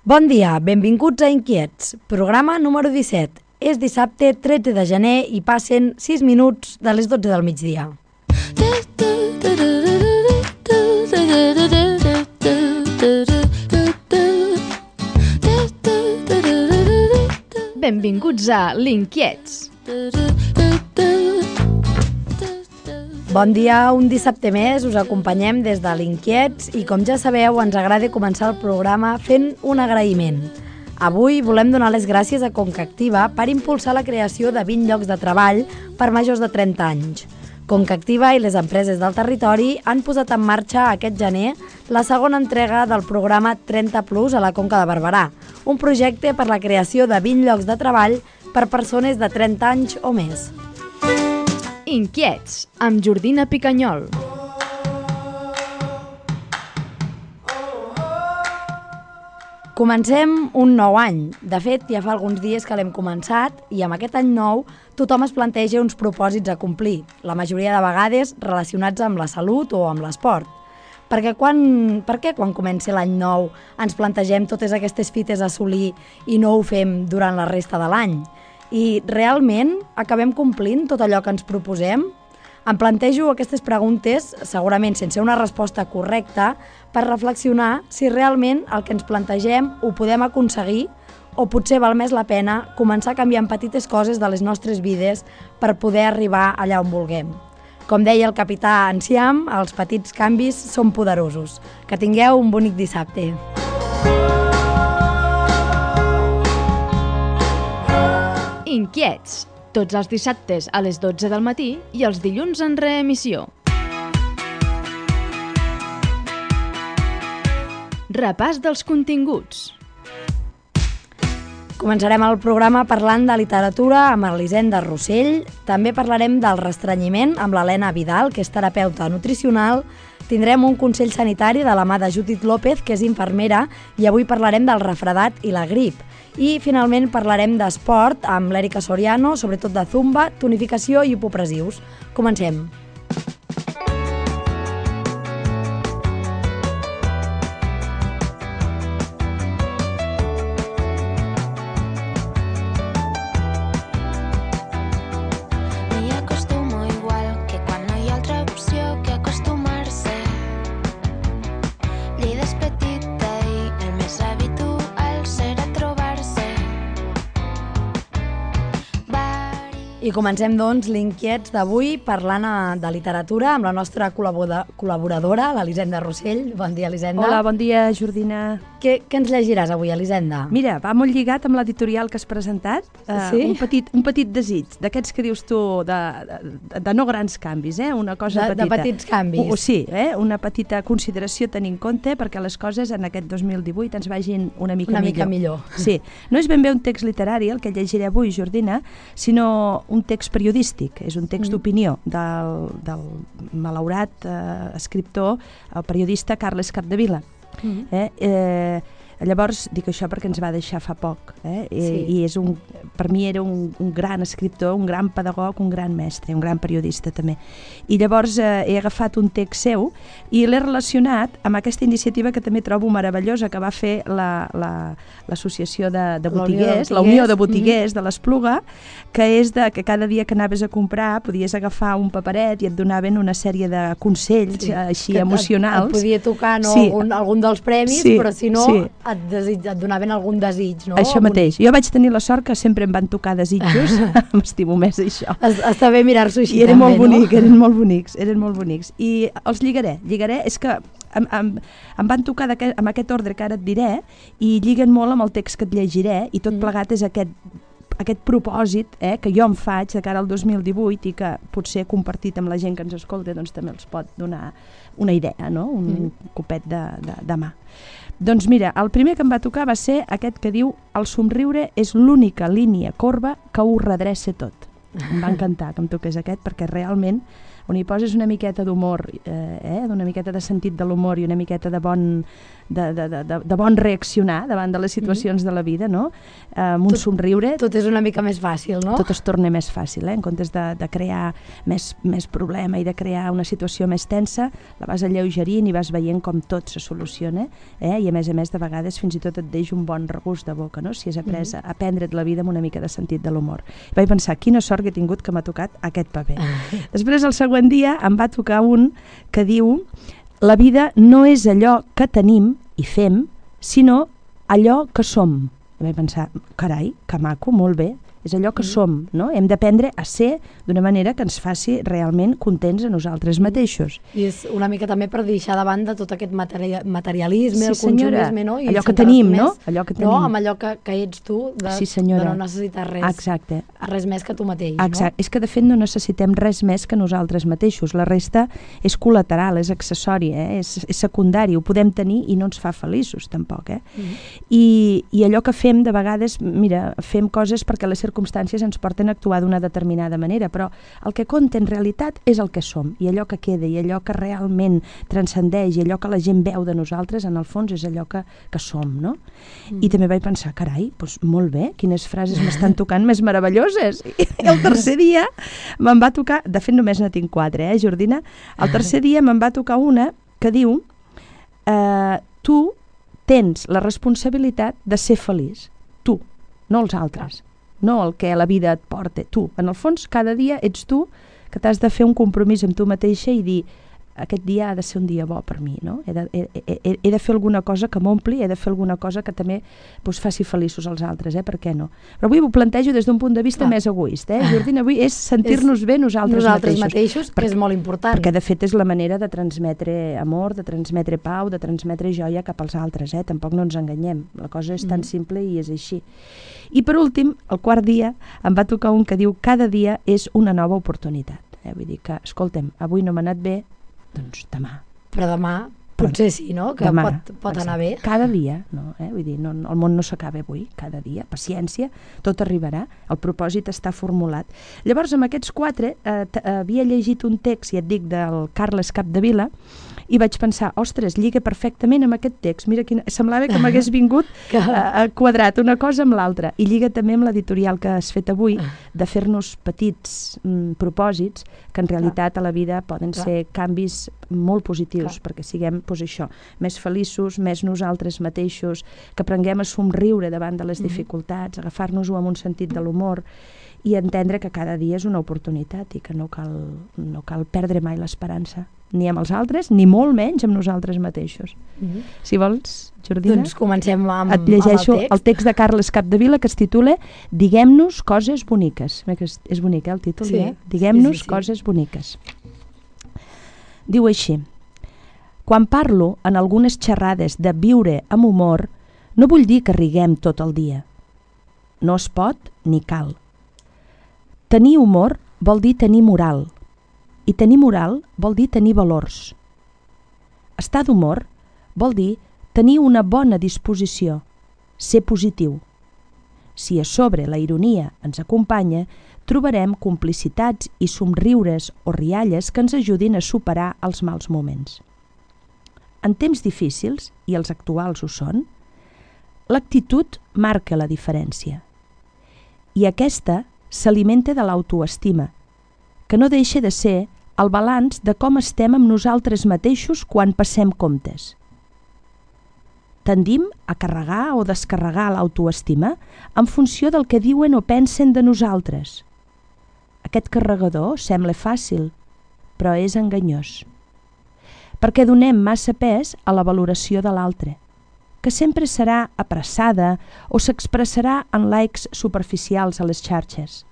Bon dia, benvinguts a Inquiets, programa número 17. És dissabte 13 de gener i passen 6 minuts de les 12 del migdia. Benvinguts a l'Inquiets. Bon dia, un dissabte més us acompanyem des de l'Inquiets i com ja sabeu ens agrada començar el programa fent un agraïment. Avui volem donar les gràcies a Concactiva per impulsar la creació de 20 llocs de treball per majors de 30 anys. Concactiva i les empreses del territori han posat en marxa aquest gener la segona entrega del programa 30+ a la Conca de Barberà, un projecte per la creació de 20 llocs de treball per persones de 30 anys o més. Inquiets, amb Jordina Picanyol. Comencem un nou any. De fet, ja fa alguns dies que l'hem començat i amb aquest any nou tothom es planteja uns propòsits a complir, la majoria de vegades relacionats amb la salut o amb l'esport. Per què quan comenci l'any nou ens plantegem totes aquestes fites a assolir i no ho fem durant la resta de l'any? I realment acabem complint tot allò que ens proposem? Em plantejo aquestes preguntes, segurament sense una resposta correcta, per reflexionar si realment el que ens plantegem ho podem aconseguir o potser val més la pena començar canviant petites coses de les nostres vides per poder arribar allà on vulguem. Com deia el capità Enciam, els petits canvis són poderosos. Que tingueu un bonic dissabte. Inquiets, tots els dissabtes a les 12 del matí i els dilluns en reemissió. Repàs dels continguts. Començarem el programa parlant de literatura amb Elisenda Rossell. També parlarem del restrenyiment amb l'Helena Vidal, que és terapeuta nutricional. Tindrem un consell sanitari de la mà de Judit López, que és infermera, i avui parlarem del refredat i la grip. I finalment parlarem d'esport amb l'Èrica Soriano, sobretot de zumba, tonificació i hipopressius. Comencem. I comencem, doncs, l'Inquiets d'avui parlant de literatura amb la nostra col·laboradora, l'Elisenda Rossell. Bon dia, Elisenda. Hola, bon dia, Jordina. Què ens llegiràs avui, Elisenda? Mira, va molt lligat amb l'editorial que has presentat. Sí? Un petit desig, d'aquests que dius tu, de no grans canvis, una cosa petita. De petits canvis. Sí, una petita consideració a tenir en compte perquè les coses en aquest 2018 ens vagin una mica millor. Sí, no és ben bé un text literari el que llegiré avui, Jordina, sinó un text periodístic, és un text d'opinió del malaurat escriptor, el periodista Carles Capdevila. Llavors, dic això perquè ens va deixar fa poc, i per mi era un gran escriptor, un gran pedagog, un gran mestre, un gran periodista també. I llavors he agafat un text seu i l'he relacionat amb aquesta iniciativa que també trobo meravellosa que va fer l'associació de botiguers, la Unió de Botiguers de l'Espluga, que és que cada dia que anaves a comprar podies agafar un paperet i et donaven una sèrie de consells així emocionals. Et podia tocar algun dels premis, però si no et donaven algun desig, no? Això mateix. Jo vaig tenir la sort que sempre em van tocar desitjos, m'estimo més això. Està bé mirar-s'ho així també, no? Eren molt bonics. I els lligaré, és que em van tocar amb aquest ordre que ara et diré i lliguen molt amb el text que et llegiré i tot plegat és aquest propòsit que jo em faig de cara al 2018 i que potser compartit amb la gent que ens escolta doncs també els pot donar una idea, no? Un copet de mà. Doncs mira, el primer que em va tocar va ser aquest que diu «El somriure és l'única línia corba que ho redreça tot». Em va encantar que em toqués aquest perquè realment on hi poses una miqueta d'humor, una miqueta de sentit de l'humor i una miqueta de bon reaccionar davant de les situacions de la vida, no? Amb un somriure... Tot és una mica més fàcil, no? Tot es torna més fàcil, en comptes de crear més problema i de crear una situació més tensa, la vas alleugerint i vas veient com tot se soluciona, i a més, de vegades fins i tot et deixa un bon regust de boca, no? Si has après a prendre't la vida amb una mica de sentit de l'humor. Vaig pensar, quina sort que he tingut que m'ha tocat aquest paper. Després, el següent dia, em va tocar un que diu: la vida no és allò que tenim i fem, sinó allò que som. I vaig pensar, carai, que maco, molt bé, és allò que som, no? Hem d'aprendre a ser d'una manera que ens faci realment contents a nosaltres mateixos. I és una mica també per deixar de banda tot aquest materialisme, el consumisme, no? I allò que tenim, no? Allò que tenim. No, amb allò que ets tu, de no necessitar res. Exacte. Res més que tu mateix, no? És que de fet no necessitem res més que nosaltres mateixos. La resta és col·lateral, és accessori, és secundari, ho podem tenir i no ens fa feliços tampoc, I allò que fem de vegades, mira, fem coses perquè les circumstàncies ens porten a actuar d'una determinada manera, però el que compta en realitat és el que som, i allò que queda, i allò que realment transcendeix, i allò que la gent veu de nosaltres, en el fons és allò que som, no? I també vaig pensar, carai, doncs molt bé, quines frases m'estan tocant més meravelloses. I el tercer dia me'n va tocar, de fet només ne tinc 4, Jordina? El tercer dia me'n va tocar una que diu: tu tens la responsabilitat de ser feliç, tu, no els altres. No el que la vida et porta, tu. En el fons, cada dia ets tu que t'has de fer un compromís amb tu mateixa i dir, aquest dia ha de ser un dia bo per mi, no? He de fer alguna cosa que m'ompli, he de fer alguna cosa que també faci feliços als altres, per què no? Però avui ho plantejo des d'un punt de vista més egoista, Jordina, avui és sentir-nos bé nosaltres mateixos, que és molt important. Perquè de fet és la manera de transmetre amor, de transmetre pau, de transmetre joia cap als altres, tampoc no ens enganyem, la cosa és tan simple i és així. I per últim, el quart dia, em va tocar un que diu: cada dia és una nova oportunitat. Vull dir que, escolta'm, avui no m'ha anat bé, doncs demà. Però demà potser sí, no? Que demà, pot anar bé. Cada dia, no? Vull dir, no, el món no s'acaba avui, cada dia, paciència, tot arribarà, el propòsit està formulat. Llavors, amb aquests 4, havia llegit un text, ja et dic, del Carles Capdevila, i vaig pensar, ostres, lliga perfectament amb aquest text, mira, semblava que m'hagués vingut quadrat una cosa amb l'altra, i lliga també amb l'editorial que has fet avui, de fer-nos petits propòsits, que en realitat a la vida poden ser canvis molt positius, perquè siguem, això, més feliços, més nosaltres mateixos, que aprenguem a somriure davant de les dificultats, agafar-nos-ho amb un sentit de l'humor, i entendre que cada dia és una oportunitat i que no cal perdre mai l'esperança, ni amb els altres, ni molt menys amb nosaltres mateixos. Si vols, Jordina, doncs comencem amb et llegeixo el text de Carles Capdevila, que es titula Diguem-nos coses boniques. És bonic, el títol, Diguem-nos coses boniques. Diu així: quan parlo en algunes xerrades de viure amb humor, no vull dir que riguem tot el dia. No es pot ni cal. Tenir humor vol dir tenir moral, i tenir moral vol dir tenir valors. Estar d'humor vol dir tenir una bona disposició, ser positiu. Si a sobre la ironia ens acompanya, trobarem complicitats i somriures o rialles que ens ajudin a superar els mals moments. En temps difícils, i els actuals ho són, l'actitud marca la diferència. I aquesta s'alimenta de l'autoestima, que no deixa de ser el balanç de com estem amb nosaltres mateixos quan passem comptes. Tendim a carregar o descarregar l'autoestima en funció del que diuen o pensen de nosaltres. Aquest carregador sembla fàcil, però és enganyós. Perquè donem massa pes a la valoració de l'altre, que sempre serà apressada o s'expressarà en likes superficials a les xarxes.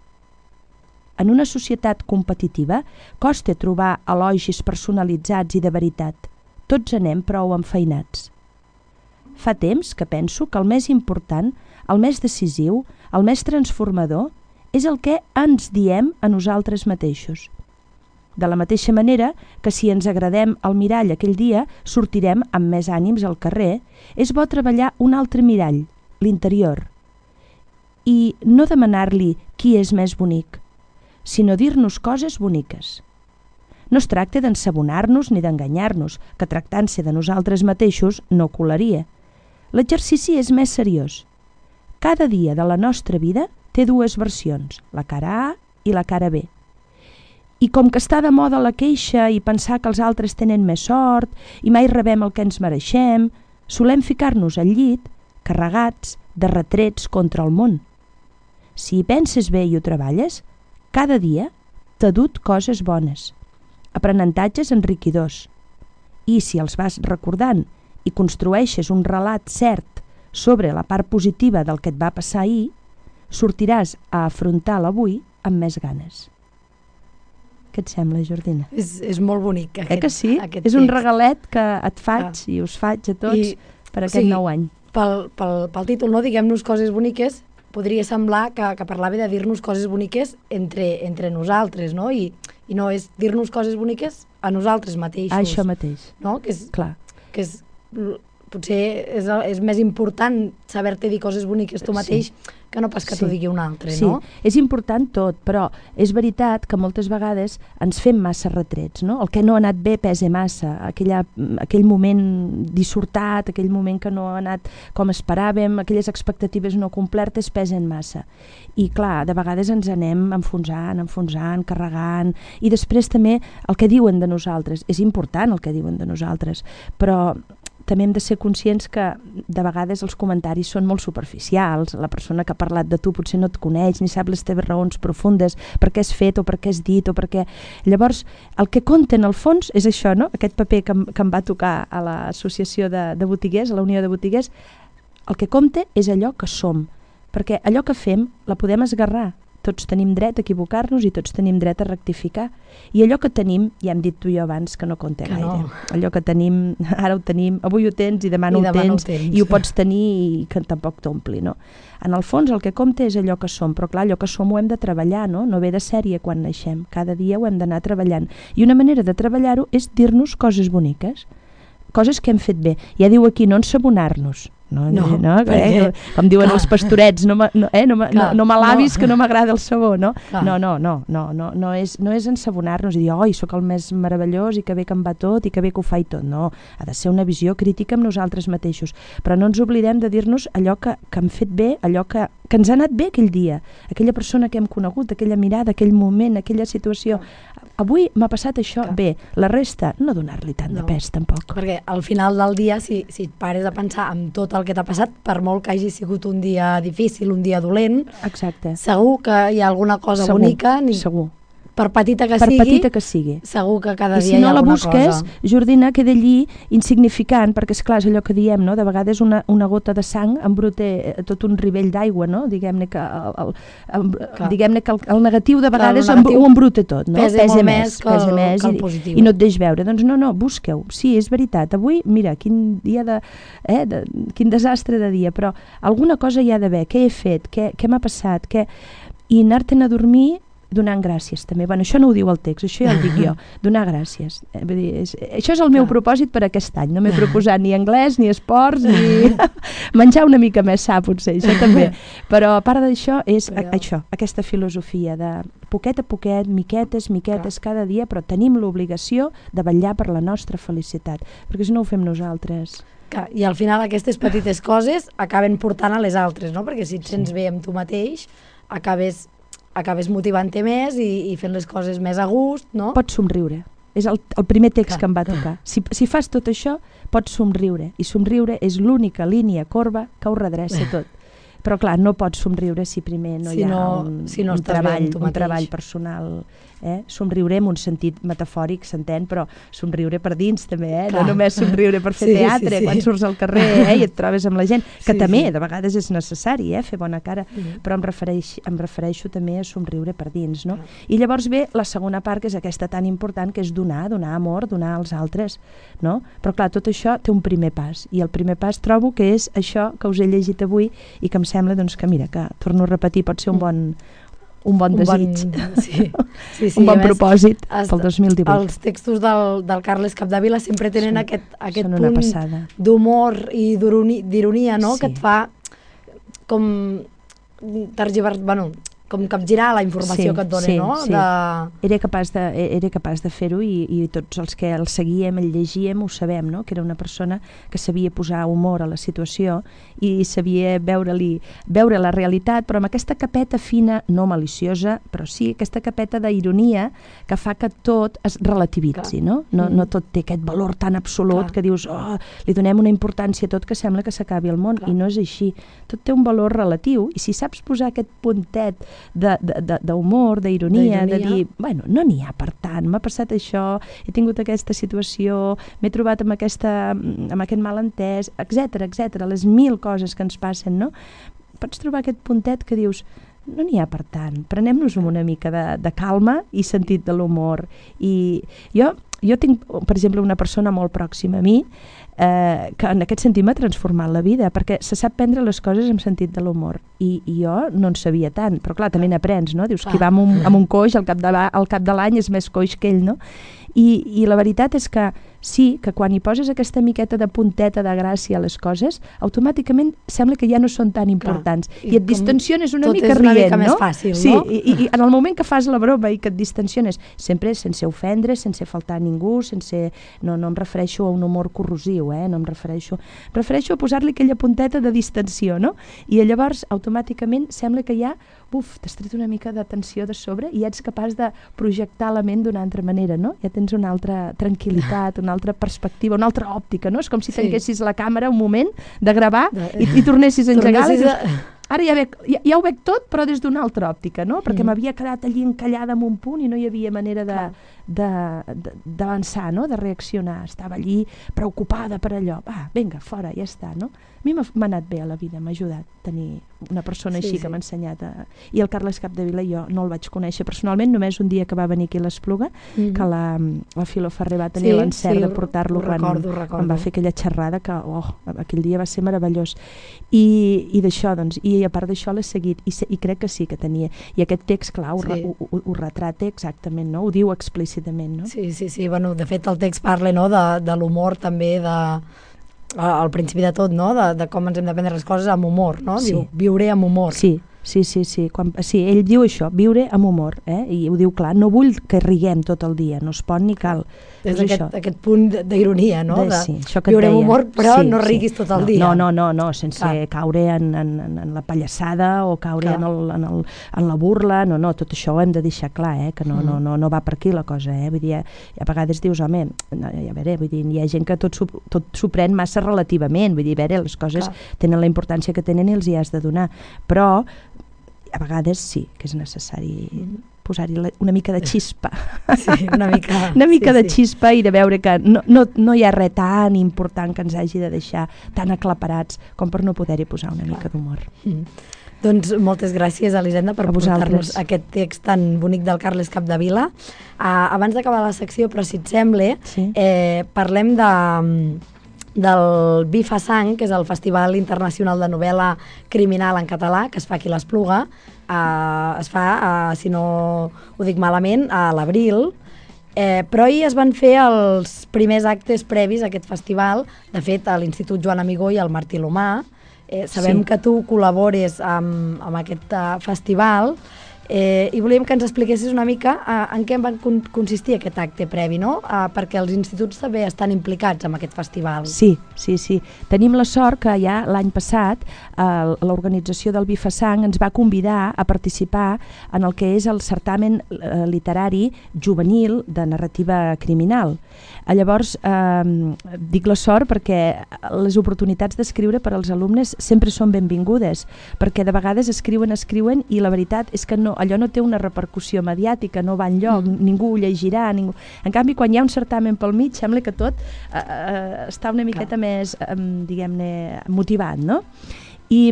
En una societat competitiva costa trobar elogis personalitzats i de veritat. Tots anem prou enfeinats. Fa temps que penso que el més important, el més decisiu, el més transformador, és el que ens diem a nosaltres mateixos. De la mateixa manera que si ens agradem al mirall aquell dia, sortirem amb més ànims al carrer, és bo treballar un altre mirall, l'interior. I no demanar-li qui és més bonic, sinó dir-nos coses boniques. No es tracta d'ensabonar-nos ni d'enganyar-nos, que tractant-se de nosaltres mateixos no colaria. L'exercici és més seriós. Cada dia de la nostra vida té dues versions, la cara A i la cara B. I com que està de moda la queixa i pensar que els altres tenen més sort i mai rebem el que ens mereixem, solem ficar-nos al llit carregats de retrets contra el món. Si hi penses bé i ho treballes, cada dia t'ha dut coses bones, aprenentatges enriquidors. I si els vas recordant i construeixes un relat cert sobre la part positiva del que et va passar ahir, sortiràs a afrontar l'avui amb més ganes. Què et sembla, Jordina? És molt bonic. Que sí? És un regalet que et faig i us faig a tots per aquest nou any. Pel títol, no? Diguem-nos coses boniques, podria semblar que parlava de dir-nos coses boniques entre nosaltres, no? I no és dir-nos coses boniques a nosaltres mateixos. Això mateix. No? Que és, clar. Que és, potser és més important saber-te dir coses boniques tu mateix que no pas que t'ho digui un altre, no? Sí, és important tot, però és veritat que moltes vegades ens fem massa retrets, no? El que no ha anat bé pesa massa, aquell moment dissortat, aquell moment que no ha anat com esperàvem, aquelles expectatives no complertes pesen massa. I clar, de vegades ens anem enfonsant, carregant, i després també el que diuen de nosaltres, és important el que diuen de nosaltres, però també hem de ser conscients que de vegades els comentaris són molt superficials, la persona que ha parlat de tu potser no et coneix, ni sap les teves raons profundes, per què has fet o per què has dit o per què... Llavors, el que compta en el fons és això, no? Aquest paper que em va tocar a l'associació de botiguers, a la Unió de Botiguers, el que compta és allò que som, perquè allò que fem la podem esgarrar. Tots tenim dret a equivocar-nos i tots tenim dret a rectificar. I allò que tenim, ja hem dit tu i jo abans que no compta gaire. No. Allò que tenim, ara ho tenim, avui ho tens i demà no ho tens, i ho pots tenir i que tampoc t'ompli, no? En el fons el que compta és allò que som, però clar, allò que som ho hem de treballar, no? No ve de sèrie quan naixem, cada dia ho hem d'anar treballant. I una manera de treballar-ho és dir-nos coses boniques, coses que hem fet bé. Ja diu aquí, no ensabonar-nos. No, perquè, com diuen els pastorets, no m'alabis que no m'agrada el sabó, no? No és ensabonar-nos i dir, oi, sóc el més meravellós i que bé que em va tot i que bé que ho faig tot, no, ha de ser una visió crítica amb nosaltres mateixos, però no ens oblidem de dir-nos allò que hem fet bé, allò que ens ha anat bé aquell dia, aquella persona que hem conegut, aquella mirada, aquell moment, aquella situació. Avui m'ha passat això, bé, la resta, no donar-li tant de pes tampoc. Perquè al final del dia, si et pares a pensar en tot el que t'ha passat, per molt que hagi sigut un dia difícil, un dia dolent, segur que hi ha alguna cosa bonica. Segur. Per petita que sigui, segur que cada dia hi ha alguna cosa. I si no la busques, Jordina, queda allí insignificant, perquè esclar, és allò que diem, no? De vegades una gota de sang embruta tot un rivell d'aigua, no? Diguem-ne que el negatiu de vegades ho embruta tot, no? Pesa més que el positiu. I no et deix veure. Doncs no, busqueu. Sí, és veritat. Avui, mira, quin dia quin desastre de dia, però alguna cosa hi ha d'haver. Què he fet? Què m'ha passat? I anar-te'n a dormir donant gràcies també. Bueno, això no ho diu el text, això ja ho dic jo, donar gràcies. Vull dir, això és el meu propòsit per aquest any. No m'he proposat ni anglès, ni esports, ni menjar una mica més sa, potser, això també. Però a part d'això és això, aquesta filosofia de poquet a poquet, miquetes, cada dia, però tenim l'obligació de vetllar per la nostra felicitat, perquè si no ho fem nosaltres. I al final aquestes petites coses acaben portant a les altres, no? Perquè si et sents bé amb tu mateix, acabes motivant-te més i fent les coses més a gust, no? Pots somriure. És el primer text que em va tocar. Si fas tot això, pots somriure. I somriure és l'única línia corba que ho redreça tot. Però clar, no pots somriure si primer no hi ha un treball personal. Somriure en un sentit metafòric, s'entén, però somriure per dins també, no només somriure per fer teatre, quan surts al carrer i et trobes amb la gent, que també de vegades és necessari, fer bona cara, però em refereixo també a somriure per dins, no? I llavors ve la segona part, que és aquesta tan important, que és donar amor, donar als altres, no? Però clar, tot això té un primer pas, i el primer pas trobo que és això que us he llegit avui i que em sembla que, mira, que torno a repetir, pot ser un bon desig, un bon propòsit pel 2018. Els textos del Carles Capdevila sempre tenen aquest punt d'humor i d'ironia, no? Que et fa com com capgirar la informació que et dona, no? Sí. Era capaç de fer-ho i tots els que el seguíem, el llegíem, ho sabem, no? Que era una persona que sabia posar humor a la situació i sabia veure la realitat, però amb aquesta capeta fina, no maliciosa, però sí aquesta capeta d'ironia que fa que tot es relativitzi, no? No tot té aquest valor tan absolut que dius, li donem una importància a tot que sembla que s'acabi el món, i no és així. Tot té un valor relatiu, i si saps posar aquest puntet d'humor, d'ironia, de dir, bueno, no n'hi ha per tant, m'ha passat això, he tingut aquesta situació, m'he trobat amb aquest malentès, etc. Les 1000 coses que ens passen, no? Pots trobar aquest puntet que dius, no n'hi ha per tant, prenem-nos una mica de calma i sentit de l'humor. I jo tinc, per exemple, una persona molt pròxima a mi que en aquest sentit m'ha transformat la vida, perquè se sap prendre les coses amb sentit de l'humor, i jo no en sabia tant, però clar, també n'aprens, no? Dius, qui va amb un coix al cap de l'any és més coix que ell, no? I la veritat és que sí, que quan hi poses aquesta miqueta de punteta de gràcia a les coses, automàticament sembla que ja no són tan importants. I et distensiones una mica rient, no? Tot és una mica més fàcil, no? Sí, i en el moment que fas la broma i que et distensiones, sempre sense ofendre, sense faltar a ningú, no em refereixo a un humor corrosiu, no em refereixo a posar-li aquella punteta de distensió, no? I llavors automàticament sembla que ja t'has tret una mica de tensió de sobre i ets capaç de projectar la ment d'una altra manera, no? Ja tens una altra tranquil·litat, una altra perspectiva, una altra òptica, no? És com si tanquessis la càmera un moment de gravar i tornessis a engegar-la i dius, ara ja ho veig tot, però des d'una altra òptica, no? Perquè m'havia quedat allí encallada en un punt i no hi havia manera d'avançar, no? De reaccionar. Estava allí preocupada per allò. Vinga, fora, ja està, no? A mi m'ha anat bé a la vida, m'ha ajudat tenir una persona així que m'ha ensenyat. I el Carles Capdevila jo no el vaig conèixer personalment, només un dia que va venir aquí a l'Espluga, que la Filo Ferrer va tenir l'encert de portar-lo quan va fer aquella xerrada, que aquell dia va ser meravellós. I d'això, doncs, i a part d'això l'he seguit, i crec que sí que tenia. I aquest text, clar, ho retrata exactament, no? Ho diu explícitament, no? Sí, bueno, de fet el text parla, no?, de l'humor també, al principi de tot, no?, de com ens hem de prendre les coses amb humor, no? Diu, viuré amb humor. Sí, ell diu això, viure amb humor, i ho diu clar, no vull que riguem tot el dia, no es pot ni cal. És aquest punt d'ironia, no? Viure amb humor, però no riguis tot el dia. No, sense caure en la pallassada o caure en la burla, no, tot això ho hem de deixar clar, que no va per aquí la cosa, vull dir, a vegades dius, home, a veure, vull dir, hi ha gent que tot s'ho pren massa relativament, vull dir, a veure, les coses tenen la importància que tenen i els hi has de donar, però a vegades sí que és necessari posar-hi una mica de xispa. Sí, una mica de xispa i de veure que no hi ha res tan important que ens hagi de deixar tan aclaparats com per no poder-hi posar una mica d'humor. Doncs moltes gràcies, Elisenda, per portar-nos aquest text tan bonic del Carles Capdevila. Abans d'acabar la secció, però si et sembla, parlem del BIFA-Sang, que és el Festival Internacional de Novel·la Criminal en Català, que es fa aquí a l'Espluga. Es fa, si no ho dic malament, a l'abril, però ahir es van fer els primers actes previs a aquest festival, de fet a l'Institut Joan Amigó i al Martí l'Humà. Sabem que tu col·labores amb aquest festival, i volíem que ens expliquessis una mica en què va consistir aquest acte previ, no? Perquè els instituts també estan implicats en aquest festival. Sí. Tenim la sort que ja l'any passat l'organització del BIFA-Sang ens va convidar a participar en el que és el certamen literari juvenil de narrativa criminal. Llavors, dic la sort perquè les oportunitats d'escriure per als alumnes sempre són benvingudes, perquè de vegades escriuen i la veritat és que allò no té una repercussió mediàtica, no va enlloc, ningú ho llegirà. En canvi, quan hi ha un certamen pel mig, sembla que tot està una miqueta més, diguem-ne, motivat, no? I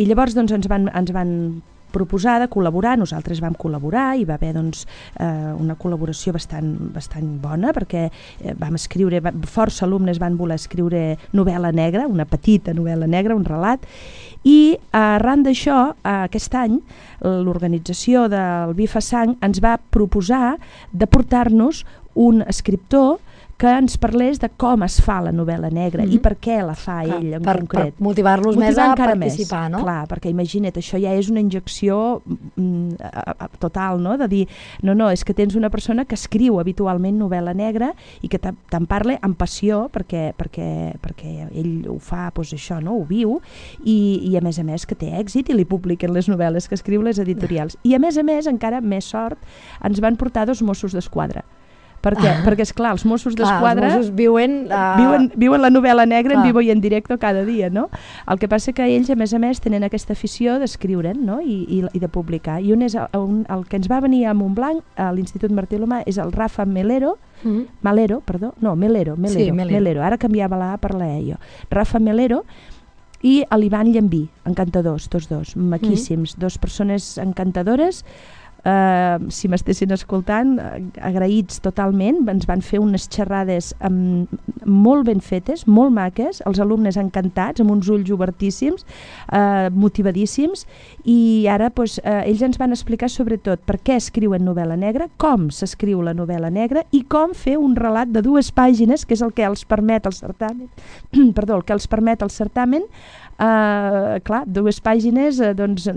llavors doncs, ens van proposar de col·laborar, nosaltres vam col·laborar, i va haver una col·laboració bastant bona, perquè vam escriure, força alumnes van voler escriure novel·la negra, una petita novel·la negra, un relat, i arran d'això, aquest any, l'organització del BIFA-Sang ens va proposar de portar-nos un escriptor que ens parlés de com es fa la novel·la negra i per què la fa ell en concret. Per motivar-los més a participar, no? Clar, perquè imagina't, això ja és una injecció total, no? De dir, no, és que tens una persona que escriu habitualment novel·la negra i que te'n parla amb passió perquè ell ho fa, doncs això, no? Ho viu i a més que té èxit i li publiquen les novel·les que escriu les editorials. I a més, encara més sort, ens van portar 2 Mossos d'Esquadra. Perquè esclar, els Mossos d'Esquadra els Mossos viuen la novel·la negra en vivo i en directo cada dia, no? El que passa que ells, a més, tenen aquesta afició d'escriure'n, no? I de publicar. I un és el que ens va venir a Montblanc, a l'Institut Martí Lomà, és el Rafa Melero, Melero, ara canviava la A per la E jo. Rafa Melero i l'Ivan Llambí, encantadors, tots dos, maquíssims, 2 persones encantadores. Si m'estessin escoltant, agraïts totalment, ens van fer unes xerrades molt ben fetes, molt maques, els alumnes encantats, amb uns ulls obertíssims, motivadíssims, i ara ells ens van explicar sobretot per què escriuen novel·la negra, com s'escriu la novel·la negra i com fer un relat de 2 pàgines, que és el que els permet el certamen, clar, 2 pàgines, doncs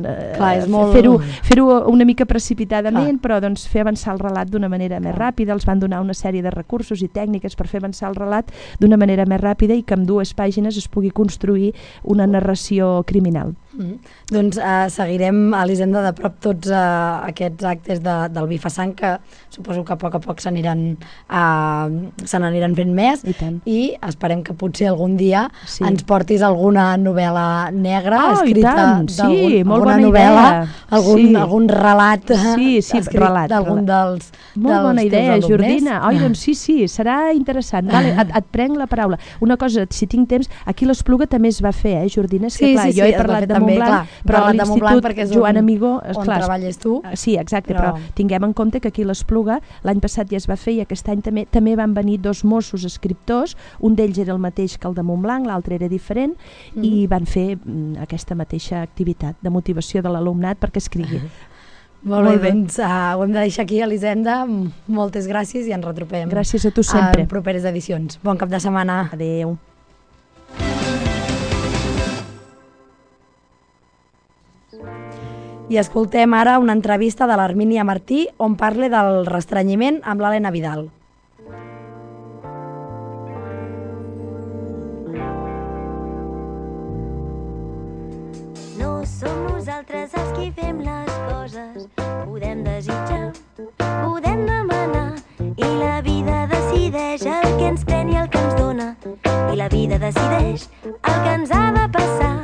fer-ho una mica precipitadament, però doncs fer avançar el relat d'una manera més ràpida. Els van donar una sèrie de recursos i tècniques per fer avançar el relat d'una manera més ràpida i que amb 2 pàgines es pugui construir una narració criminal. Doncs seguirem a l'Hisenda de prop tots aquests actes del Bifasang, que suposo que a poc se n'aniran fent més, i esperem que potser algun dia ens portis alguna novel·la negra escrita d'alguna novel·la, algun relat escrit d'algun dels molt bona idea, alumnes. Jordina. Doncs sí, serà interessant. Et prenc la paraula. Una cosa, si tinc temps, aquí l'Espluga també es va fer, Jordina? És que clar, jo he parlat de Montblanc, però a l'Institut Joan Amigó on treballes tu. Sí, exacte, però tinguem en compte que aquí l'Espluga l'any passat ja es va fer i aquest any també van venir 2 Mossos escriptors, un d'ells era el mateix que el de Montblanc, l'altre era diferent, i van fer aquesta mateixa activitat de motivació de l'alumnat perquè escrigui. Molt bé, doncs ho hem de deixar aquí a l'Hisenda. Moltes gràcies i ens retrobem. Gràcies a tu sempre. En properes edicions. Bon cap de setmana. Adéu. I escoltem ara una entrevista de l'Armínia Martí on parla del restrenyiment amb l'Helena Vidal. No som nosaltres els qui fem les coses, podem desitjar, podem demanar, i la vida decideix el que ens pren i el que ens dona, i la vida decideix el que ens ha de passar.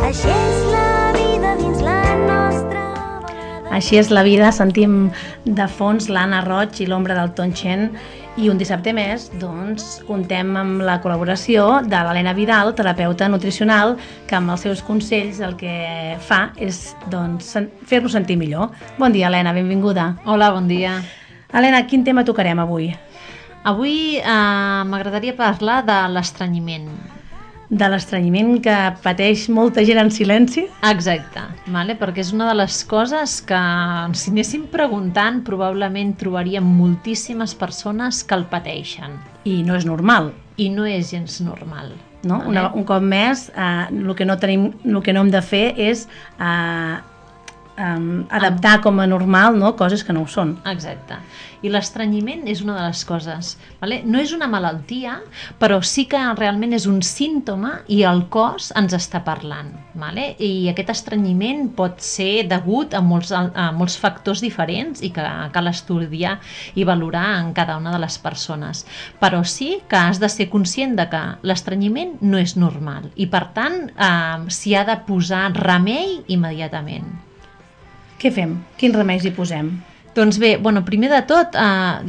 Així és la vida dins la nostra volada. Així és la vida, sentim de fons l'Anna Roig i l'ombra del Tonchen, i un dissabte més doncs, contem amb la col·laboració de l'Helena Vidal, terapeuta nutricional, que amb els seus consells el que fa és doncs, fer-nos sentir millor. Bon dia, Helena, benvinguda. Hola, bon dia. Helena, quin tema tocarem avui? Avui m'agradaria parlar de l'estranyiment. De l'estranyiment que pateix molta gent en silenci? Exacte, perquè és una de les coses que, si anéssim preguntant, probablement trobaríem moltíssimes persones que el pateixen. I no és normal. I no és gens normal. No? Un cop més, el que no hem de fer és adaptar com a normal, no? Coses que no ho són. Exacte. I l'estranyiment és una de les coses. No és una malaltia, però sí que realment és un símptoma i el cos ens està parlant. I aquest estrenyiment pot ser degut a molts factors diferents i que cal estudiar i valorar en cada una de les persones. Però sí que has de ser conscient de que l'estrenyiment no és normal i, per tant, s'hi ha de posar remei immediatament. Què fem? Quins remeis hi posem? Doncs bé, primer de tot,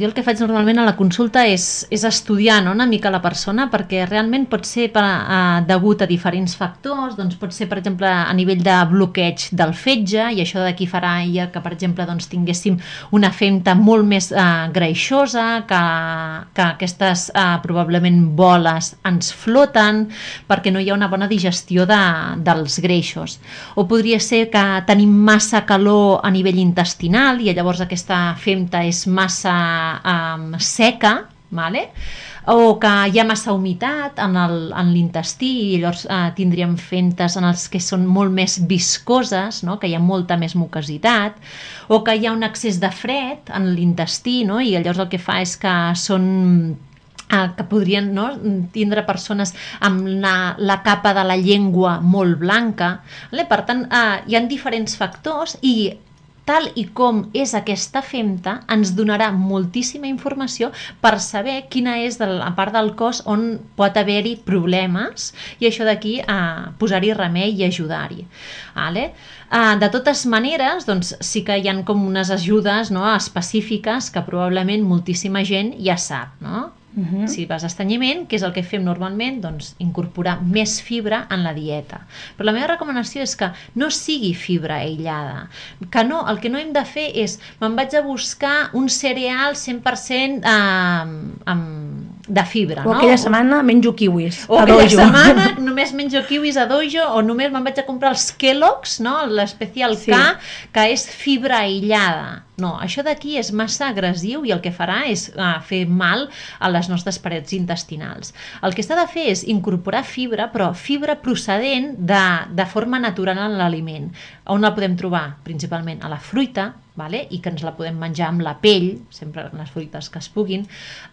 jo el que faig normalment a la consulta és estudiar una mica la persona, perquè realment pot ser degut a diferents factors, doncs pot ser, per exemple, a nivell de bloqueig del fetge, i això d'aquí farà ja que, per exemple, tinguéssim una femta molt més greixosa, que aquestes probablement boles ens floten, perquè no hi ha una bona digestió dels greixos. O podria ser que tenim massa calor a nivell intestinal, i llavors aquesta femta és massa seca, vale? O que hi ha massa humitat en l'intestí i llavors tindríem fentes en els que són molt més viscoses, no? Que hi ha molta més mucositat, o que hi ha un excés de fred en l'intestí, no? I llavors el que fa és que són que podrien, no, tindre persones amb la capa de la llengua molt blanca. Vale? Per tant, hi ha diferents factors i tal i com és aquesta femta ens donarà moltíssima informació per saber quina és la part del cos on pot haver-hi problemes i això d'aquí posar-hi remei i ajudar-hi. Vale? De totes maneres, doncs, sí que hi ha com unes ajudes, no, específiques que probablement moltíssima gent ja sap, no? Si vas a estrenyiment, què és el que fem normalment? Doncs incorporar més fibra en la dieta. Però la meva recomanació és que no sigui fibra aïllada. Que no, el que no hem de fer és me'n vaig a buscar un cereal 100% de fibra. O aquella setmana menjo kiwis o aquella setmana només menjo kiwis a dojo o només me'n vaig a comprar els Kellogg's, no? L'especial K, que és fibra aïllada. No, això d'aquí és massa agressiu i el que farà és fer mal a les nostres parets intestinals. El que s'ha de fer és incorporar fibra, però fibra procedent de forma natural en l'aliment. On la podem trobar? Principalment a la fruita, vale? I que ens la podem menjar amb la pell, sempre les fruites que es puguin,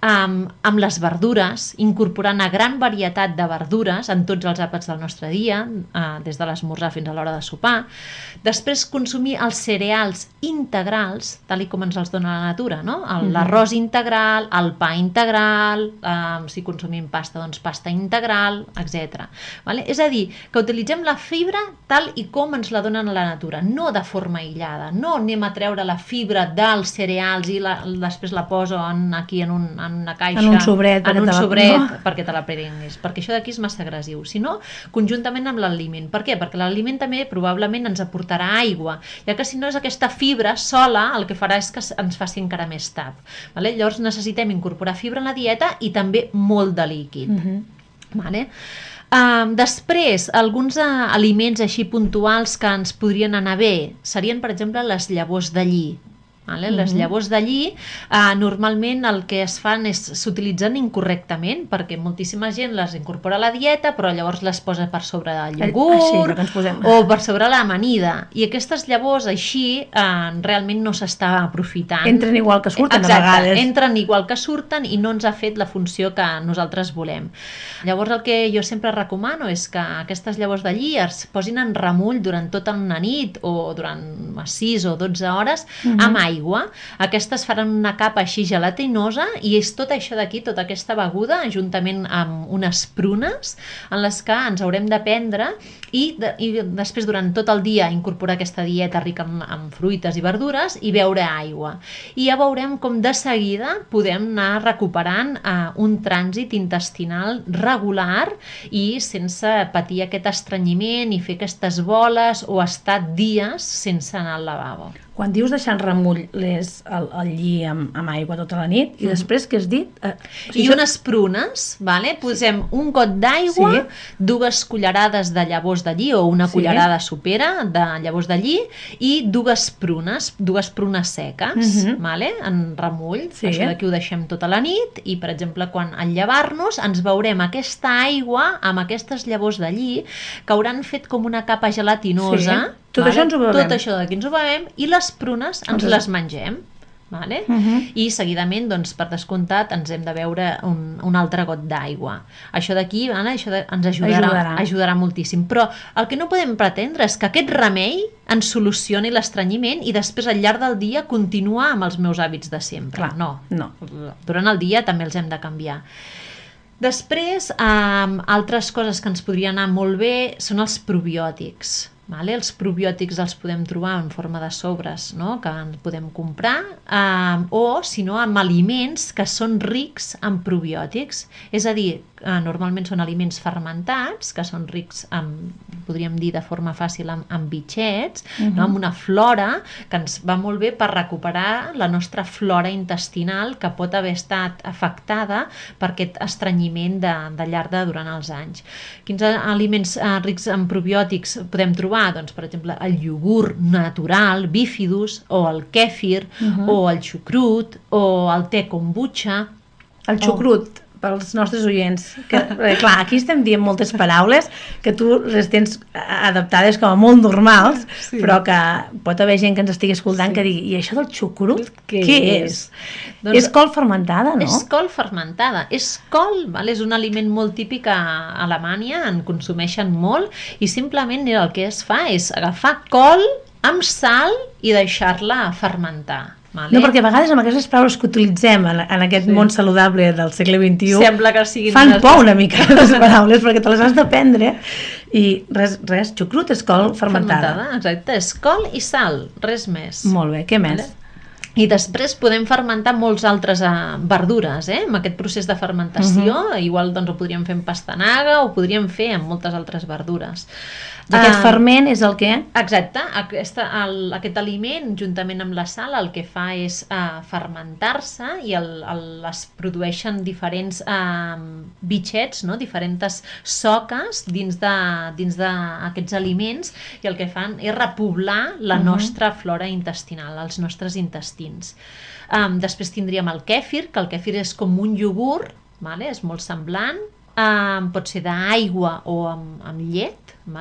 amb les verdures, incorporant una gran varietat de verdures en tots els àpats del nostre dia, des de l'esmorzar fins a l'hora de sopar. Després consumir els cereals integrals, tal com ens els dona la natura, no? L'arròs integral, el pa integral, si consumim pasta, doncs pasta integral, etc. Vale? És a dir, que utilitzem la fibra tal i com ens la donen la natura, no de forma aïllada, no anem a treure la fibra dels cereals i després la poso aquí en una caixa, en un sobret, perquè te la prenguis, perquè això d'aquí és massa agressiu, sinó conjuntament amb l'aliment. Per què? Perquè l'aliment també probablement ens aportarà aigua, ja que si no és aquesta fibra sola, el que farà és que ens faci encara més tap. Vale? Llavors necessitem incorporar fibra en la dieta i també molt de líquid. Vale? Després, alguns aliments així puntuals que ens podrien anar bé serien, per exemple, les llavors de lli. Vale? Les llavors de lli normalment el que es fan és s'utilitzen incorrectament perquè moltíssima gent les incorpora a la dieta però llavors les posa per sobre del iogurt o per sobre l'amanida i aquestes llavors així realment no s'està aprofitant. Entren igual que surten. Exacte, a vegades. Entren igual que surten i no ens ha fet la funció que nosaltres volem. Llavors el que jo sempre recomano és que aquestes llavors de lli es posin en remull durant tota una nit o durant 6 o 12 hores amb aigua. Aquestes faran una capa així gelatinosa i és tot això d'aquí, tota aquesta beguda, juntament amb unes prunes en les que ens haurem de prendre i després durant tot el dia incorporar aquesta dieta rica en fruites i verdures i beure aigua. I ja veurem com de seguida podem anar recuperant un trànsit intestinal regular i sense patir aquest estrenyiment i fer aquestes boles o estar dies sense anar al lavabo. Quan dius deixar en remull el lli amb aigua tota la nit i després, què has dit? I unes prunes, vale? Posem un got d'aigua, 2 cullerades de llavors de lli o una cullerada sopera de llavors de lli i 2 prunes seques, vale? En remull. Això d'aquí ho deixem tota la nit i, per exemple, quan al llevar-nos ens veurem aquesta aigua amb aquestes llavors de lli que hauran fet com una capa gelatinosa. Tot això ens ho bevem. Tot això d'aquí ens ho bevem i les prunes ens les mengem. Vale? I seguidament, doncs, per descomptat, ens hem de beure un altre got d'aigua. Això d'aquí, això ens ajudarà moltíssim. Però el que no podem pretendre és que aquest remei ens solucioni l'estrenyiment i després al llarg del dia continuar amb els meus hàbits de sempre. Clar, no. Durant el dia també els hem de canviar. Després, altres coses que ens podrien anar molt bé són els probiòtics. Vale? Els probiòtics els podem trobar en forma de sobres, no? Que en podem comprar o, si no, amb aliments que són rics en probiòtics. És a dir, normalment són aliments fermentats, que són rics, podríem dir de forma fàcil, amb bitxets, no? Amb una flora que ens va molt bé per recuperar la nostra flora intestinal que pot haver estat afectada per aquest estrenyiment de llarg durant els anys. Quins aliments rics en probiòtics podem trobar? Doncs, per exemple, el iogurt natural, bífidus, o el kèfir, o el xucrut, o el te kombucha. El xucrut, pels nostres oients. Clar, aquí estem dient moltes paraules que tu les tens adaptades com a molt normals, però que pot haver gent que ens estigui escoltant que digui, i això del xucrut, què és? Doncs és col fermentada, no? És col fermentada. És col, és un aliment molt típic a Alemanya, en consumeixen molt, i simplement el que es fa és agafar col amb sal i deixar-la fermentar. Vale. No, perquè a vegades amb aquestes paraules que utilitzem en aquest món saludable del segle XXI sembla que siguin fan por una mica les paraules perquè te les has d'aprendre i res, xucrut és col fermentada. Exacte, és col i sal, res més. Molt bé, què més? I després podem fermentar molts altres verdures, amb aquest procés de fermentació, igual doncs ho podríem fer amb pastanaga o ho podríem fer amb moltes altres verdures. I aquest ferment és el què? Exacte, aquest aliment juntament amb la sal el que fa és fermentar-se i es produeixen diferents bitxets, no? Diferents soques dins d'aquests aliments i el que fan és repoblar la nostra flora intestinal, els nostres intestins. Després tindríem el kèfir, que el kèfir és com un iogurt, és molt semblant, pot ser d'aigua o amb llet,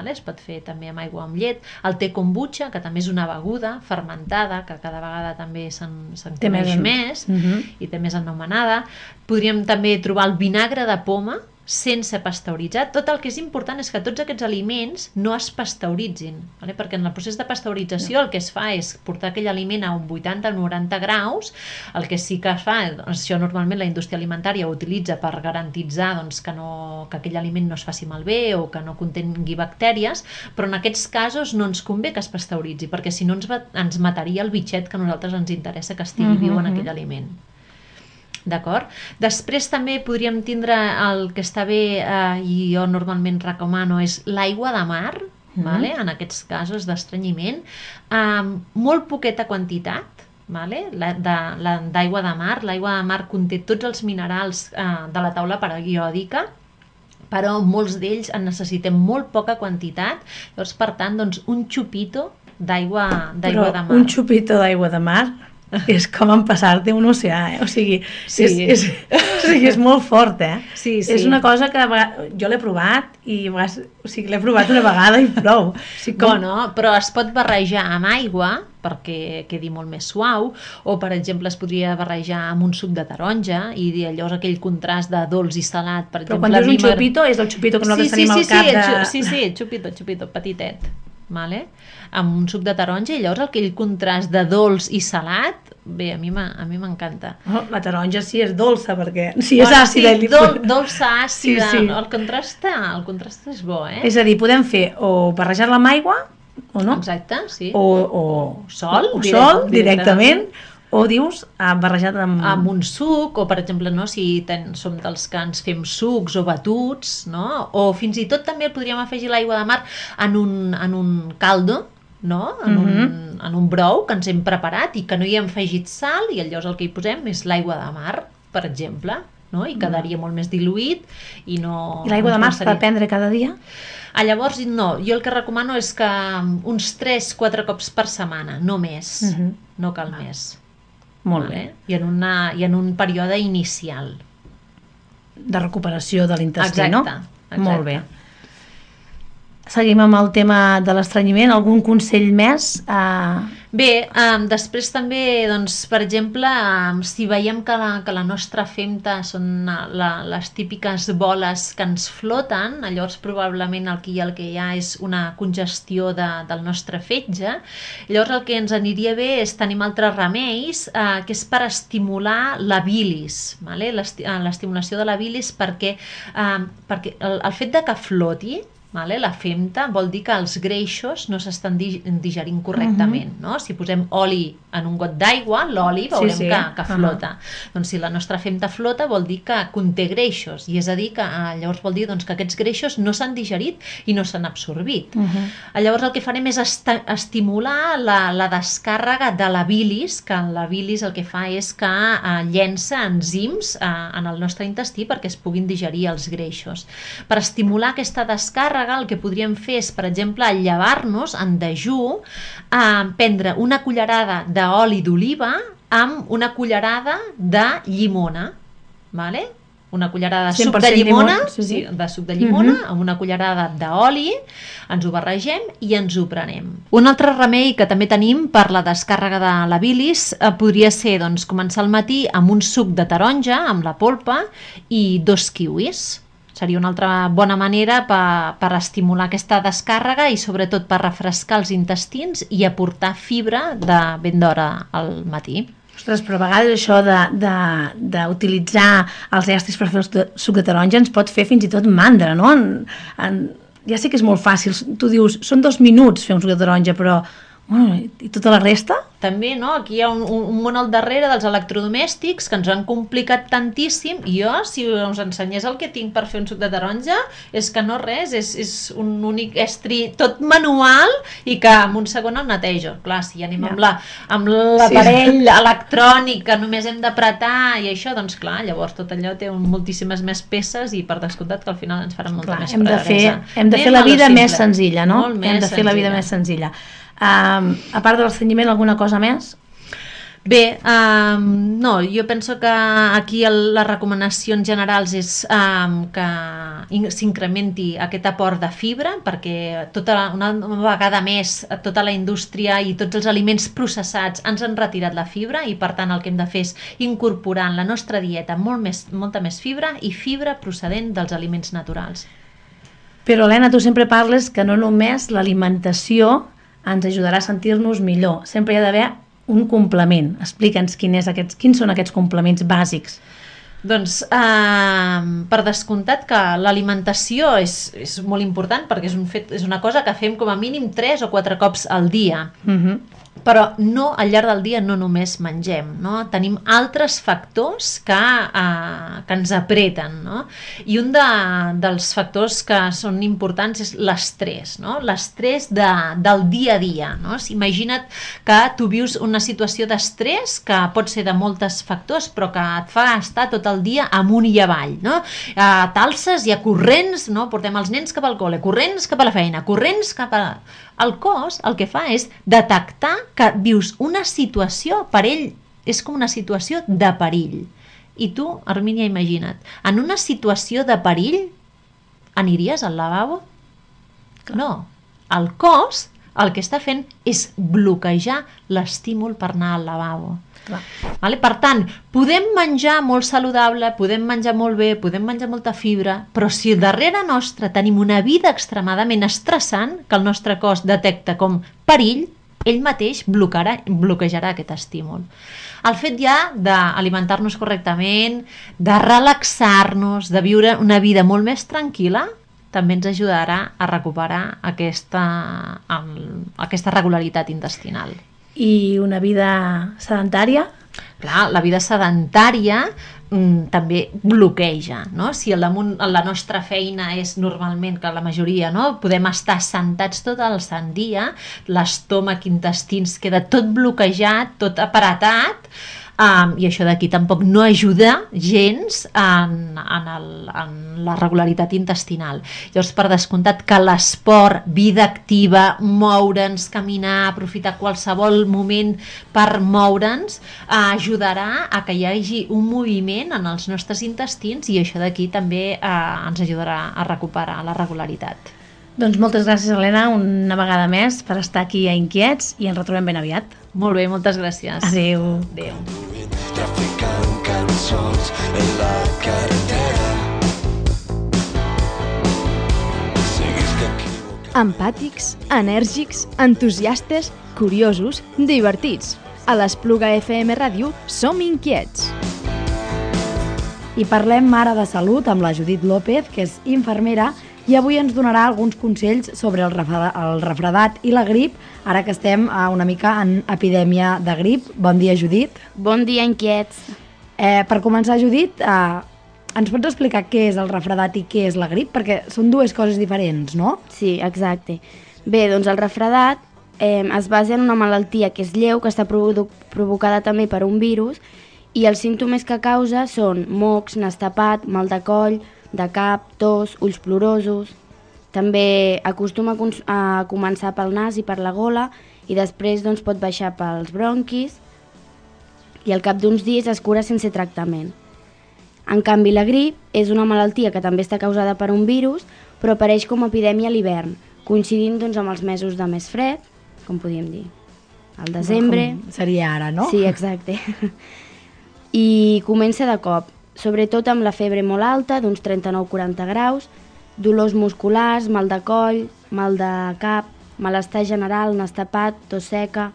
es pot fer també amb aigua o amb llet. El te kombucha, que també és una beguda fermentada, que cada vegada també se'n coneix més i té més anomenada. Podríem també trobar el vinagre de poma sense pasteuritzar. Tot el que és important és que tots aquests aliments no es pasteuritzin, perquè en el procés de pasteurització el que es fa és portar aquell aliment a un 80-90 graus. El que sí que es fa, això normalment la indústria alimentària ho utilitza per garantitzar que aquell aliment no es faci malbé o que no contingui bactèries, però en aquests casos no ens convé que es pasteuritzi, perquè si no ens mataria el bitxet que a nosaltres ens interessa que estigui viu en aquell aliment. D'acord? Després també podríem tindre el que està bé i jo normalment recomano és l'aigua de mar, en aquests casos d'estrenyiment, molt poqueta quantitat d'aigua de mar. L'aigua de mar conté tots els minerals de la taula periòdica, però molts d'ells en necessitem molt poca quantitat, llavors per tant un xupito d'aigua de mar. Un xupito d'aigua de mar és com empassar-te un oceà, o sigui, és molt fort, Sí. És una cosa que jo l'he provat i l'he provat una vegada i prou. Bueno, però es pot barrejar amb aigua perquè quedi molt més suau, o per exemple es podria barrejar amb un suc de taronja i llavors aquell contrast de dolç i salat, per exemple. Però quan dius un xupito, és el xupito que nosaltres tenim al cap de... Sí, xupito, petitet. Amb un suc de taronja i llavors aquell contrast de dolç i salat, bé, a mi m'encanta. La taronja sí és dolça, perquè si és àcida... Dolça, àcida, el contrast és bo, És a dir, podem fer o barrejar-la amb aigua o no? Exacte, sí. O sol directament, o dius barrejat amb un suc, o per exemple si som dels que ens fem sucs o batuts, o fins i tot també podríem afegir l'aigua de mar en un caldo, en un brou que ens hem preparat i que no hi hem afegit sal, i llavors el que hi posem és l'aigua de mar, per exemple, i quedaria molt més diluït i no... I l'aigua de mar s'ha de prendre cada dia? Llavors no, jo el que recomano és que uns 3-4 cops per setmana, no més, no cal més. Molt bé. I en un període inicial. De recuperació de l'intestí, no? Exacte. Molt bé. Seguim amb el tema de l'estrenyiment. Algun consell més? Bé, després també, per exemple, si veiem que la nostra femta són les típiques boles que ens floten, llavors probablement el que hi ha és una congestió del nostre fetge. Llavors el que ens aniria bé és tenir altres remeis, que és per estimular la bilis, l'estimulació de la bilis, perquè el fet de que floti, la femta vol dir que els greixos no s'estan digerint correctament. Si posem oli en un got d'aigua, l'oli veurem que flota. Doncs si la nostra femta flota vol dir que conté greixos, i és a dir que llavors vol dir que aquests greixos no s'han digerit i no s'han absorbit. Llavors el que farem és estimular la descàrrega de la bilis, que la bilis el que fa és que llença enzims en el nostre intestí perquè es puguin digerir els greixos. Per estimular aquesta descàrrega el que podríem fer és, per exemple, al llevar-nos en dejú, prendre una cullerada d'oli d'oliva amb una cullerada de llimona. vale? Una cullerada de suc de llimona, de suc de llimona, amb una cullerada d'oli, ens ho barregem i ens ho prenem. Un altre remei que també tenim per la descàrrega de la bilis podria ser doncs, començar el matí amb un suc de taronja, amb la polpa, i 2 kiwis. Seria una altra bona manera per estimular aquesta descàrrega i sobretot per refrescar els intestins i aportar fibra de ben d'hora al matí. Ostres, però a vegades això d'utilitzar els estris per fer el suc de taronja ens pot fer fins i tot mandra, no? Ja sé que és molt fàcil, tu dius, són 2 minuts fer un suc de taronja, però bueno, i tota la resta? També, no? Aquí hi ha un món al darrere dels electrodomèstics que ens han complicat tantíssim, i jo, si us ensenyés el que tinc per fer un suc de taronja, és que no res, és un únic estri tot manual i que en un segon el netejo. Clar, si anem amb l'aparell electrònic que només hem d'apretar i això, doncs clar, llavors tot allò té moltíssimes més peces i per descomptat que al final ens faran molta més pressa. Hem de fer la vida més senzilla, no? Hem de fer la vida més senzilla. A part de l'estrenyiment, alguna cosa més? Bé, no, jo penso que aquí les recomanacions generals és que s'incrementi aquest aport de fibra, perquè una vegada més tota la indústria i tots els aliments processats ens han retirat la fibra i per tant el que hem de fer és incorporar en la nostra dieta molta més fibra i fibra procedent dels aliments naturals. Però Helena, tu sempre parles que no només l'alimentació ens ajudarà a sentir-nos millor. Sempre hi ha d'haver un complement. Explica'ns quins són aquests complements bàsics. Doncs, per descomptat que l'alimentació és molt important perquè és una cosa que fem com a mínim 3 o 4 cops al dia. Però no, al llarg del dia no només mengem, no? Tenim altres factors que ens apreten, no? I un dels factors que són importants és l'estrès, no? L'estrès del dia a dia, no? Imagina't que tu vius una situació d'estrès que pot ser de molts factors però que et fa estar tot el dia amunt i avall, no? T'alces, hi ha corrents, no? Portem els nens cap al col·le, corrents cap a la feina, corrents cap a... El cos el que fa és detectar que vius una situació, per ell és com una situació de perill. I tu, Hermínia, imagina't, en una situació de perill aniries al lavabo? No. El cos el que està fent és bloquejar l'estímul per anar al lavabo. Vale? Per tant, podem menjar molt saludable, podem menjar molt bé, podem menjar molta fibra, però si darrere nostre tenim una vida extremadament estressant que el nostre cos detecta com perill, ell mateix bloquejarà aquest estímul. El fet ja d'alimentar-nos correctament, de relaxar-nos, de viure una vida molt més tranquil·la, també ens ajudarà a recuperar aquesta regularitat intestinal. I una vida sedentària? Clar, la vida sedentària també bloqueja, no? Si la nostra feina és normalment, que la majoria, no? Podem estar sentats tot el sant dia, l'estómac, intestins, queda tot bloquejat, tot apretat, i això d'aquí tampoc no ajuda gens en la regularitat intestinal. Llavors, per descomptat que l'esport, vida activa, moure'ns, caminar, aprofitar qualsevol moment per moure'ns, ajudarà a que hi hagi un moviment en els nostres intestins i això d'aquí també ens ajudarà a recuperar la regularitat. Doncs moltes gràcies, Helena, una vegada més per estar aquí a Inquiets i ens retrobem ben aviat. Molt bé, moltes gràcies. Adéu. Adéu. Traficant cançons en la carretera. Empàtics, enèrgics, entusiastes, curiosos, divertits. A l'Espluga FM Ràdio som inquiets. I parlem ara de salut amb la Judit López, que és infermera, i avui ens donarà alguns consells sobre el refredat i la grip, ara que estem una mica en epidèmia de grip. Bon dia, Judit. Bon dia, inquiets. Per començar, Judit, ens pots explicar què és el refredat i què és la grip? Perquè són dues coses diferents, no? Sí, exacte. Bé, doncs el refredat es basa en una malaltia que és lleu, que està provocada també per un virus, i els símptomes que causa són mocs, nas tapat, mal de coll, de cap, tos, ulls plorosos. També acostuma a començar pel nas i per la gola i després doncs, pot baixar pels bronquis i al cap d'uns dies es cura sense tractament. En canvi, la grip és una malaltia que també està causada per un virus, però apareix com a epidèmia a l'hivern, coincidint doncs, amb els mesos de més fred, com podríem dir, al desembre. Com seria ara, no? Sí, exacte. I comença de cop, sobretot amb la febre molt alta, d'uns 39-40 graus, dolors musculars, mal de coll, mal de cap, malestar general, nas tapat, tos seca,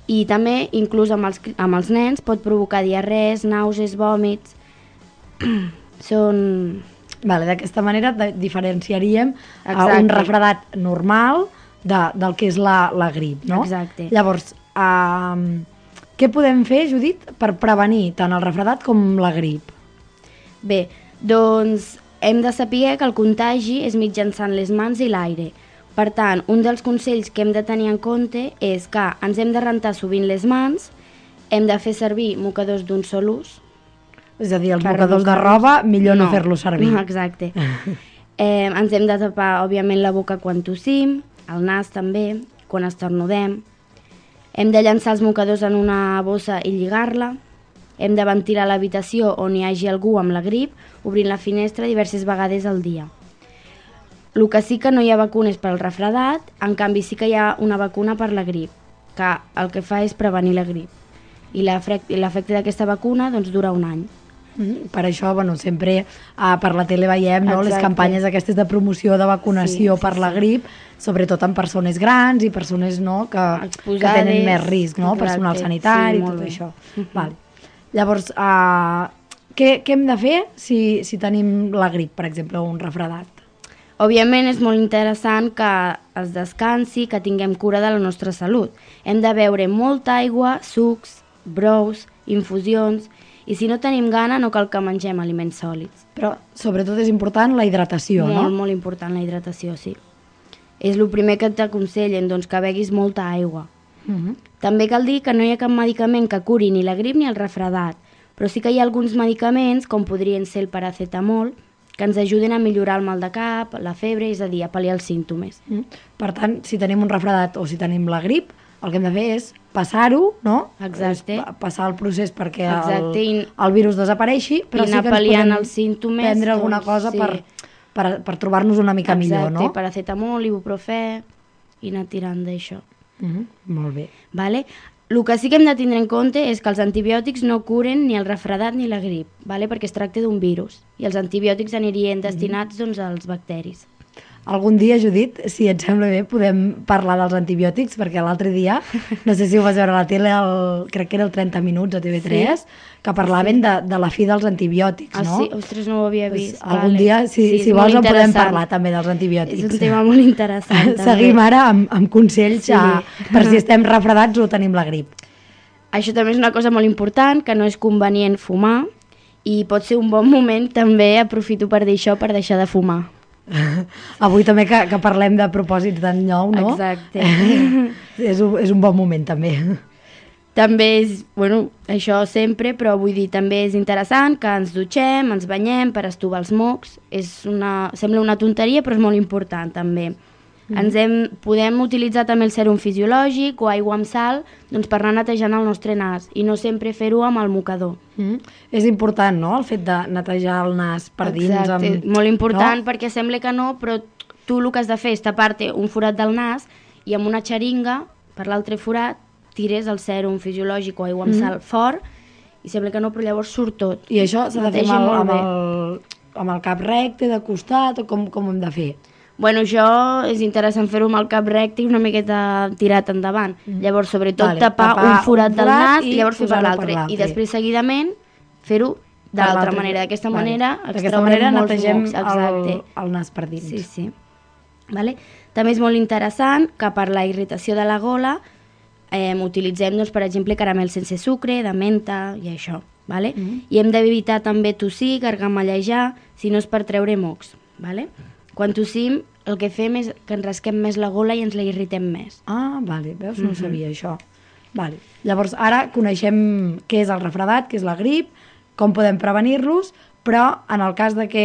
i també, inclús amb els nens, pot provocar diarrees, nàusees, vòmits. Són... Vale, d'aquesta manera diferenciaríem Exacte. un refredat normal del que és la grip, no? Exacte. Llavors, què podem fer, Judit, per prevenir tant el refredat com la grip? Bé, doncs hem de saber que el contagi és mitjançant les mans i l'aire. Per tant, un dels consells que hem de tenir en compte és que ens hem de rentar sovint les mans, hem de fer servir mocadors d'un sol ús. És a dir, els mocadors de roba, millor no fer-los servir. Exacte. Ens hem de tapar, òbviament, la boca quan tossim, el nas també, quan estornudem. Hem de llançar els mocadors en una bossa i lligar-la. Hem de ventilar l'habitació on hi hagi algú amb la grip, obrint la finestra diverses vegades al dia. El que sí que no hi ha vacunes per al refredat, en canvi sí que hi ha una vacuna per la grip, que el que fa és prevenir la grip. I l'efecte d'aquesta vacuna doncs, dura un any. Per això, sempre per la tele veiem, no, les campanyes aquestes de promoció de vacunació per la grip, sobretot en persones grans i persones, no, que tenen més risc, no? Personal sanitari i tot això. Vale. Llavors, què hem de fer si tenim la grip, per exemple, o un refredat? Òbviament és molt interessant que es descansi, que tinguem cura de la nostra salut. Hem de beure molta aigua, sucs, brous, infusions, i si no tenim gana no cal que mengem aliments sòlids. Però sobretot és important la hidratació, no? Molt important la hidratació, sí. És el primer que t'aconsellen, doncs que beguis molta aigua. També cal dir que no hi ha cap medicament que curi ni la grip ni el refredat, però sí que hi ha alguns medicaments, com podrien ser el paracetamol, que ens ajuden a millorar el mal de cap, la febre, és a dir, a pal·liar els símptomes. Per tant, si tenim un refredat o si tenim la grip, el que hem de fer és passar-ho, no? Exacte. Passar el procés perquè Exacte. el virus desapareixi, però sí que ens podem els símptomes, prendre alguna cosa sí, per trobar-nos una mica millor, no? Exacte, paracetamol, ibuprofè, i anar tirant d'això. Molt bé. Vale? El que sí que hem de tindre en compte és que els antibiòtics no curen ni el refredat ni la grip, vale? Perquè es tracta d'un virus, i els antibiòtics anirien destinats doncs, als bacteris. Algun dia, Judit, si et sembla bé, podem parlar dels antibiòtics, perquè l'altre dia, no sé si ho vas veure a la tele, crec que era el 30 minuts a TV3, que parlaven de la fi dels antibiòtics, no? Sí? Ostres, no ho havia vist. Algun dia, si vols, en podem parlar també dels antibiòtics. És un tema molt interessant. Seguim ara amb consells per si estem refredats o tenim la grip. Això també és una cosa molt important, que no és convenient fumar, i pot ser un bon moment, també aprofito per dir això, per deixar de fumar. Avui també que parlem de propòsits d'any nou, no? Exacte. És un bon moment també. També és, això sempre, però vull dir, també és interessant que ens dutxem, ens banyem per estovar els mocs. Sembla una tonteria, però és molt important també. Podem utilitzar també el sèrum fisiològic o aigua amb sal doncs, per anar netejant el nostre nas i no sempre fer-ho amb el mocador. És important, no?, el fet de netejar el nas per dins. Exacte, molt important, perquè sembla que no, però tu el que has de fer és tapar-te un forat del nas i amb una xeringa, per l'altre forat, tires el sèrum fisiològic o aigua amb sal fort i sembla que no, però llavors surt tot. I això s'ha de fer amb el cap recte, de costat, o com ho hem de fer? Això és interessant fer-ho amb el cap recte i una miqueta tirat endavant. Llavors, sobretot, tapar un forat del nas i llavors fer per l'altre. I després, seguidament, fer-ho de l'altra manera. D'aquesta manera netegem el nas per dins. Sí. També és molt interessant que per la irritació de la gola utilitzem, per exemple, caramel sense sucre, de menta i això. I hem d'evitar també tossir, gargamellejar, si no és per treure mocs. Quan tossim, el que fem és que ens rasquem més la gola i ens la irritem més. Ah, vale, veus? No sabia això. Vale. Llavors, ara coneixem què és el refredat, què és la grip, com podem prevenir-los, però en el cas de que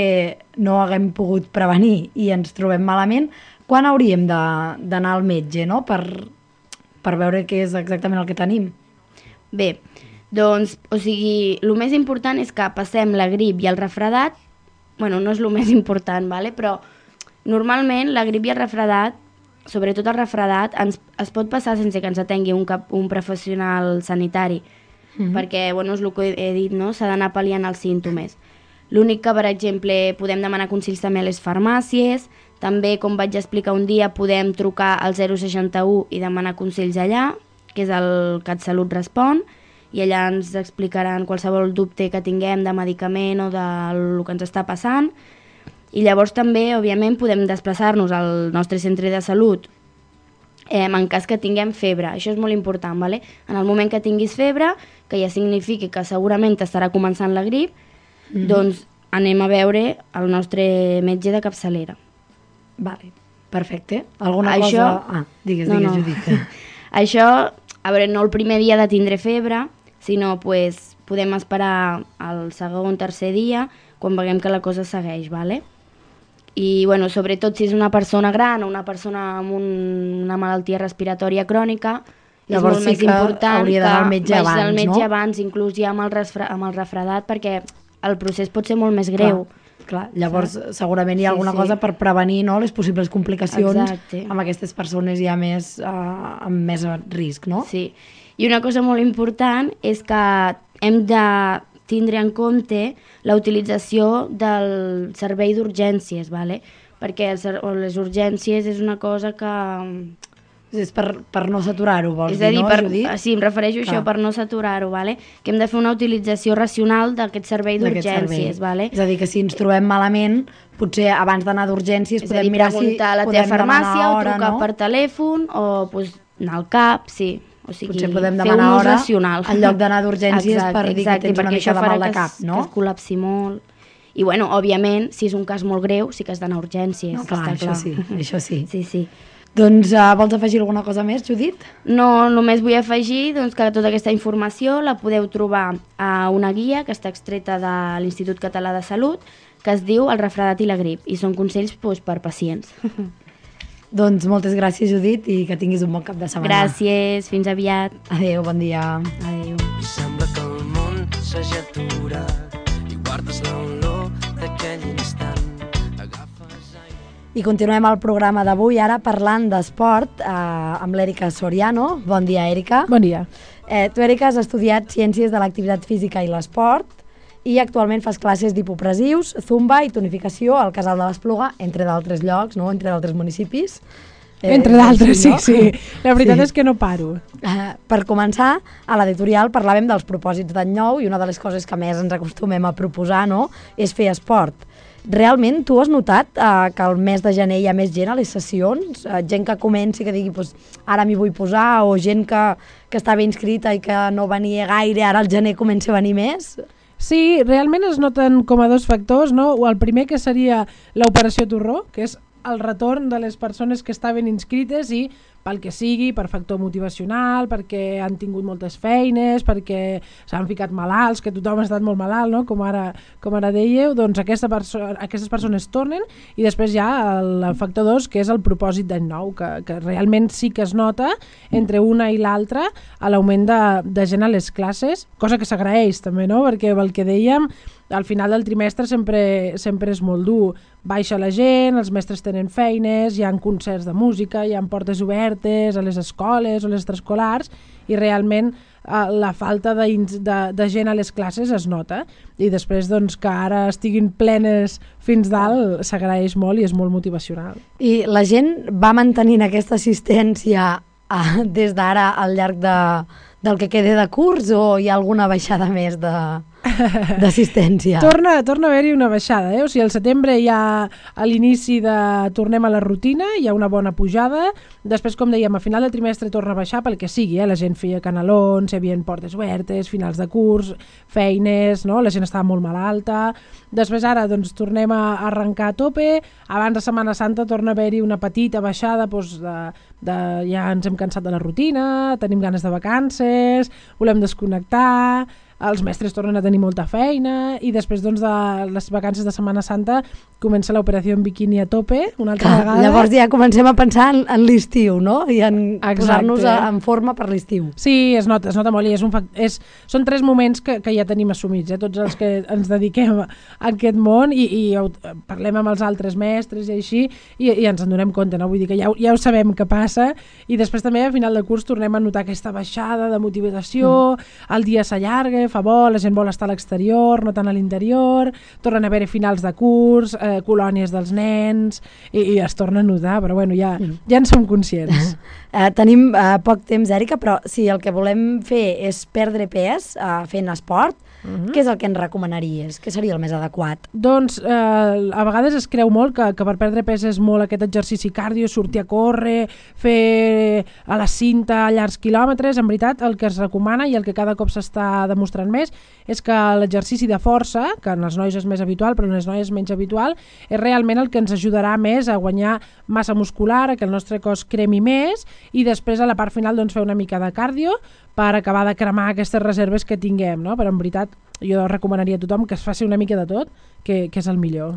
no haguem pogut prevenir i ens trobem malament, quan hauríem d'anar al metge, no?, per veure què és exactament el que tenim? Bé, Doncs, o sigui, el més important és que passem la grip i el refredat, bueno, no és el més important, vale? Però normalment la grip i el refredat, sobretot el refredat, es pot passar sense que ens atengui un professional sanitari, perquè, bueno, és el que he dit, no? S'ha d'anar pal·liant els símptomes. L'únic que, per exemple, podem demanar consells també a les farmàcies, també, com vaig explicar un dia, podem trucar al 061 i demanar consells allà, que és el CatSalut Respon, i allà ens explicaran qualsevol dubte que tinguem de medicament o del que ens està passant. I llavors també, òbviament, podem desplaçar-nos al nostre centre de salut en cas que tinguem febre. Això és molt important, ¿vale? En el moment que tinguis febre, que ja signifiqui que segurament estarà començant la grip, doncs anem a veure el nostre metge de capçalera. Vale, perfecte. Alguna cosa... Digues, Judit. Això, a veure, no el primer dia de tindre febre, sinó pues, podem esperar el segon, tercer dia, quan veiem que la cosa segueix, ¿vale? I, bueno, sobretot si és una persona gran o una persona amb una malaltia respiratòria crònica, llavors és molt més important que vagi al metge abans, inclús ja amb el refredat, perquè el procés pot ser molt més greu. Clar, llavors segurament hi ha alguna cosa per prevenir, no?, les possibles complicacions amb aquestes persones ja més amb més risc, no? Sí, i una cosa molt important és que hem de tindre en compte la utilització del servei d'urgències, ¿vale? Perquè les urgències és una cosa que... És per no saturar-ho, vols dir, no, Judit? Sí, em refereixo a això, per no saturar-ho, ¿vale? Que hem de fer una utilització racional d'aquest servei d'urgències, ¿vale? És a dir, que si ens trobem malament, potser abans d'anar d'urgències podem mirar si preguntar a la teva farmàcia o trucar per telèfon o anar al CAP, sí. O sigui, potser podem demanar hora en lloc d'anar d'urgències per dir que tens una mica de mal de cap, no? Que es col·lapsi molt. I, bueno, òbviament, si és un cas molt greu, sí que has d'anar a urgències. No, clar, això sí. Sí. Doncs vols afegir alguna cosa més, Judit? No, només vull afegir doncs, que tota aquesta informació la podeu trobar a una guia que està extreta de l'Institut Català de Salut, que es diu El refredat i la grip, i són consells per pacients. Doncs moltes gràcies, Judit, i que tinguis un bon cap de setmana. Gràcies, fins aviat. Adéu, bon dia. Adéu. I sembla que el món s'hagi aturat i guardes l'olor d'aquell instant. I continuem el programa d'avui, ara parlant d'esport amb l'Èrica Soriano. Bon dia, Èrica. Bon dia. Tu, Èrica, has estudiat Ciències de l'Activitat Física i l'Esport i actualment fas classes d'hipopressius, zumba i tonificació al Casal de l'Espluga, entre d'altres llocs, no? Entre d'altres municipis. Entre d'altres, sí. La veritat és que no paro. Per començar, a l'editorial parlàvem dels propòsits d'any nou i una de les coses que més ens acostumem a proposar, no?, és fer esport. Realment, tu has notat que el mes de gener hi ha més gent a les sessions? Gent que comenci, que digui, pues, ara m'hi vull posar, o gent que estava inscrita i que no venia gaire, ara al gener comença a venir més? Sí, realment es noten com a dos factors, no? El primer que seria l'operació Torró, que és el retorn de les persones que estaven inscrites i pel que sigui, per factor motivacional, perquè han tingut moltes feines, perquè s'han ficat malalts, que tothom ha estat molt malalt, no? Com ara dèieu, doncs aquestes persones tornen, i després hi ha el factor 2, que és el propòsit d'any nou, que realment sí que es nota entre una i l'altra a l'augment de gent a les classes, cosa que s'agraeix també, no? Perquè el que dèiem, al final del trimestre sempre és molt dur. Baixa la gent, els mestres tenen feines, hi ha concerts de música, hi ha portes obertes a les escoles o les extraescolars, i realment la falta de gent a les classes es nota. I després doncs, que ara estiguin plenes fins dalt s'agraeix molt i és molt motivacional. I la gent va mantenint aquesta assistència des d'ara al llarg del que quede de curs, o hi ha alguna baixada més d'assistència? Torna a haver-hi una baixada, O sigui, al setembre ja a l'inici tornem a la rutina, hi ha una bona pujada, després, com dèiem, a final del trimestre torna a baixar pel que sigui, la gent feia canelons, hi havia portes obertes, finals de curs, feines, no? La gent estava molt malalta, després ara doncs tornem a arrencar a tope, abans de Setmana Santa torna a haver-hi una petita baixada, doncs, ja ens hem cansat de la rutina, tenim ganes de vacances, volem desconnectar, els mestres tornen a tenir molta feina i després doncs, de les vacances de Setmana Santa comença l'operació en biquini a tope una altra vegada. Llavors ja comencem a pensar en l'estiu, no? I en posar-nos en forma per l'estiu. Sí, es nota molt i són 3 moments que ja tenim assumits, tots els que ens dediquem a aquest món i parlem amb els altres mestres i així i ens en donem compte, no? Vull dir que ja ho sabem què passa i després també a final de curs tornem a notar aquesta baixada de motivació, el dia s'allarga, fa bo, la gent vol estar a l'exterior, no tant a l'interior, tornen a haver finals de curs, colònies dels nens i es torna a notar, però bueno, ja en som conscients. Tenim poc temps, Èrica, però si el que volem fer és perdre pes fent esport, què és el que ens recomanaries? Què seria el més adequat? Doncs a vegades es creu molt que per perdre pes és molt aquest exercici cardio, sortir a córrer, fer a la cinta llargs quilòmetres. En veritat, el que es recomana i el que cada cop s'està demostrant més és que l'exercici de força, que en els nois és més habitual però en les noies és menys habitual, és realment el que ens ajudarà més a guanyar massa muscular, a que el nostre cos cremi més i després a la part final doncs, fer una mica de cardio per acabar de cremar aquestes reserves que tinguem, no? Però en veritat jo recomanaria a tothom que es faci una mica de tot, que és el millor.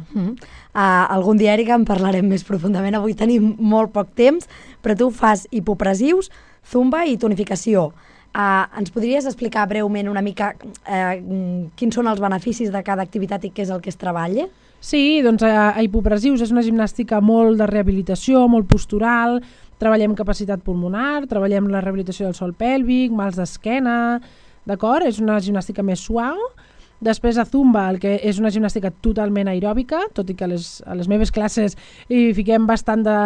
Algun dia, Èrica, en parlarem més profundament. Avui tenim molt poc temps, però tu fas hipopressius, zumba i tonificació. Ens podries explicar breument una mica quins són els beneficis de cada activitat i què és el que es treballa? Sí, doncs a hipopressius és una gimnàstica molt de rehabilitació, molt postural, treballem capacitat pulmonar, treballem la rehabilitació del sòl pèlvic, mals d'esquena, d'acord? És una gimnàstica més suau. Després a zumba, el que és una gimnàstica totalment aeròbica, tot i que a les meves classes hi fiquem bastant de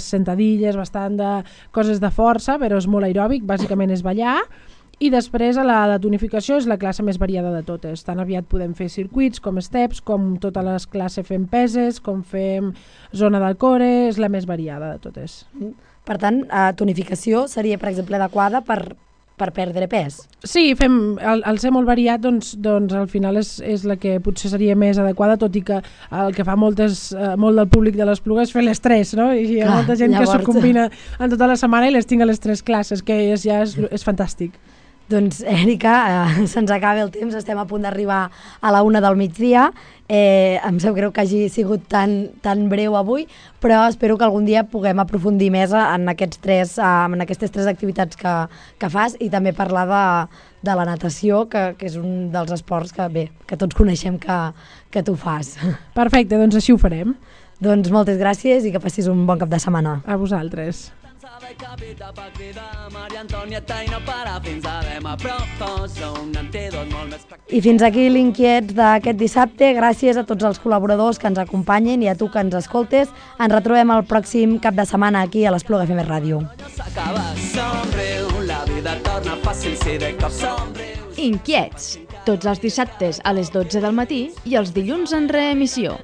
sentadilles, bastant de coses de força, però és molt aeròbic, bàsicament és ballar. I després a la de tonificació és la classe més variada de totes. Tan aviat podem fer circuits com steps, com totes les classes fem peses, com fem zona del core, és la més variada de totes. Per tant, tonificació seria, per exemple, adequada per perdre pes? Sí, al ser molt variat, doncs al final és la que potser seria més adequada, tot i que el que fa molt del públic de l'Espluga és fer les 3, no? I hi ha molta gent que s'ho combina en tota la setmana i les tinc a les 3 classes, que ja és fantàstic. Doncs, Èrica, se'ns acaba el temps, estem a punt d'arribar a la 1 del migdia. Em sap greu que hagi sigut tan breu avui, però espero que algun dia puguem aprofundir més en aquestes 3 activitats que fas i també parlar de la natació, que és un dels esports que tots coneixem que tu fas. Perfecte, doncs així ho farem. Doncs moltes gràcies i que passis un bon cap de setmana. A vosaltres. I fins aquí l'Inquiets d'aquest dissabte. Gràcies a tots els col·laboradors que ens acompanyen i a tu que ens escoltes. Ens retrobem el pròxim cap de setmana aquí a l'Espluga FM Ràdio. Inquiets, tots els dissabtes a les 12 del matí i els dilluns en reemissió.